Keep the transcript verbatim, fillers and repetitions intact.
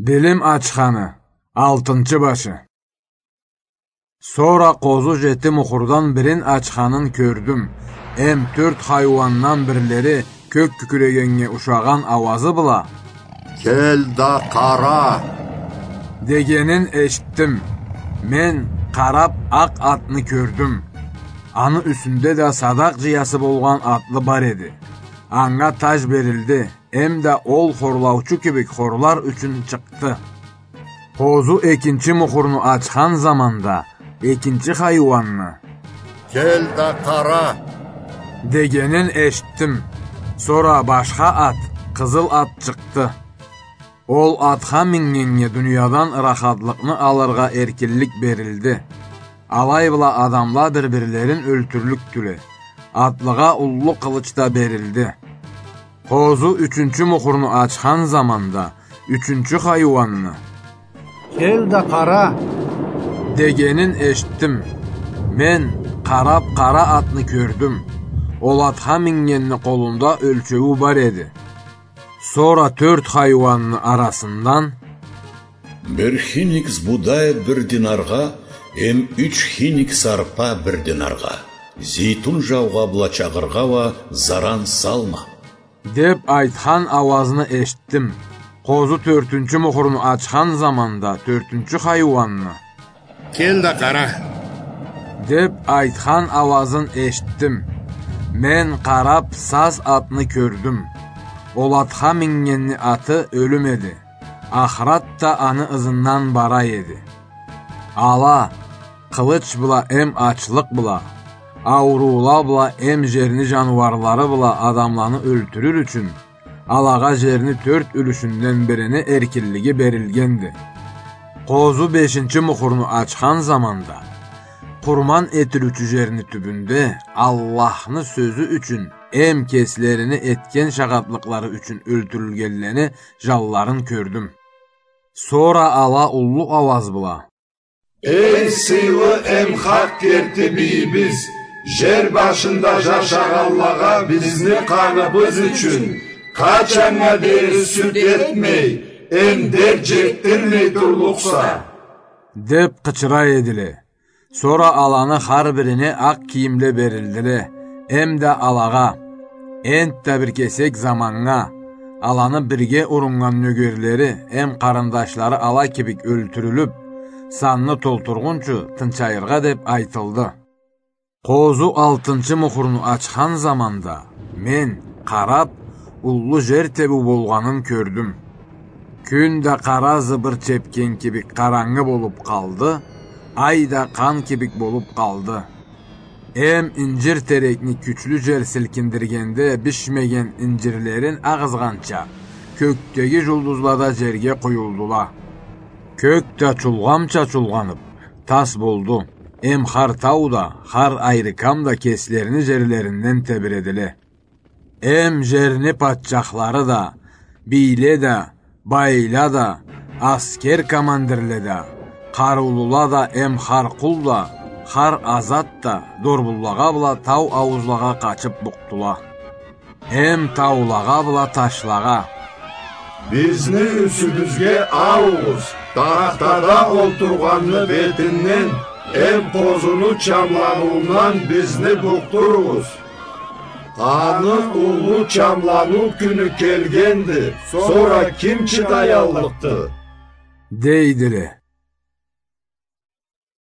Билим ачханы, алтынчы башы. Сора къозу жети мухурдан бирин ачханын кёрдюм. Эм тёрт хайуандан бирлери кёк кюкюрегеннге ушагъан ауазы бла: «Кел да къара!» — дегенин эшитдим. Мен къарап акъ атны кёрдюм. Аны юсюнде да садакъ жыясы болгъан атлы бар эди. Анга таж берилди, эм да ол хорлаучу кибик хорлар ючюн чыкъды. Къозу экинчи мухурну ачхан заманда экинчи хайуанны: «Кел да къара!» — дегенин эшитдим. Сора башха ат, къызыл ат чыкъды. Ол атха мингеннге дуниядан ырахатлыкъны алыргъа эркинлик берилди. Алай бла адамла бир-бирлерин ёлтюрлюкдюле. Атлыгъа уллу къылыч да берилди. Къозу ючюнчю мухурну ачхан заманда ючюнчю хайуанны: «Кел да къара!» — дегенин эшитдим. Мен къарап къара атны кёрдюм. Ол атха мингенни къолунда ёлчеую бар эди. Сора тёрт хайуанны арасындан: «Бир хиник сбудай бир динаргъа, эм юч хиник сарпа бир динаргъа. Зейтун жаугъа бла чагъыргъа уа заран салма», — деп айтхан ауазны эшитдим. Къозу тёртюнчю мухурну ачхан заманда тёртюнчю хайуанны: «Кел да къара!» — деп айтхан ауазын эшитдим. Мен къарап саз атны кёрдюм. Ол атха мингенни аты Ёлюм эди. Ахырат да аны ызындан бара эди. Ала къылыч бла эм ачлыкъ бла, ауруула бла эм жерни жаныуарлары бла адамланы ёлтюрюр ючюн, алагъа жерни тёрт юлюшюнден бирини эркинлиги берилгенди. Къозу бешинчи мухурну ачхан заманда, къурман этилиучю жерни тюбюнде Аллахны сёзю ючюн эм кеслерини этген шагъатлыкълары ючюн ёлтюрюлгенлени жанларын кёрдюм. Сора ала уллу ауаз бла: «Эй, сыйлы эм хакъ керти бийибиз, жер башында жашагъанлагъа бизни къаныбыз ючюн къачаннга дери сюд этмей, эм дерт жетдирмей турлукъса?» — деп къычыра эдиле. Сора аланы хар бирине акъ кийимле берилдиле, эм да алагъа энтда бир кесек заманнга аланы бирге уруннган нёгерлери эм къарындашлары ала кибик ёлтюрюлюп, санны толтургъунчу тынчайыргъа деп айтылды. Къозу алтынчы мухурну ачхан заманда мен, къарап, уллу жер тебиу болгъанын кёрдюм. Кюн да къара зыбыр чепген кибик къарангы болуп къалды, ай да къан кибик болуп къалды. Эм инжир терекни кючлю жел силкиндиргенде бишмеген инжирлерин агъызгъанча, кёкдеги жулдузла да жерге къуюлдула. Кёк да чулгъамча чулгъанып, тас болду. Эм хар тау да, хар айрыкам да кеслерини жерлеринден тебиредиле. Эм жерни патчахлары да, бийле да, байла да, аскер командирле да, къарыулула да, эм хар къул да, хар азат да дорбунлагъа бла тау ауузлагъа къачып букъдула. Эм таулагъа бла ташлагъа: «Бизни юсюбюзге аугъуз, тахтада олтургъанны бетинден эм къозуну чамланыуундан бизни букъдуругъуз. Аны уллу чамланыу кюню келгенди, сора ким чыдаяллыкъды?» — дейдиле.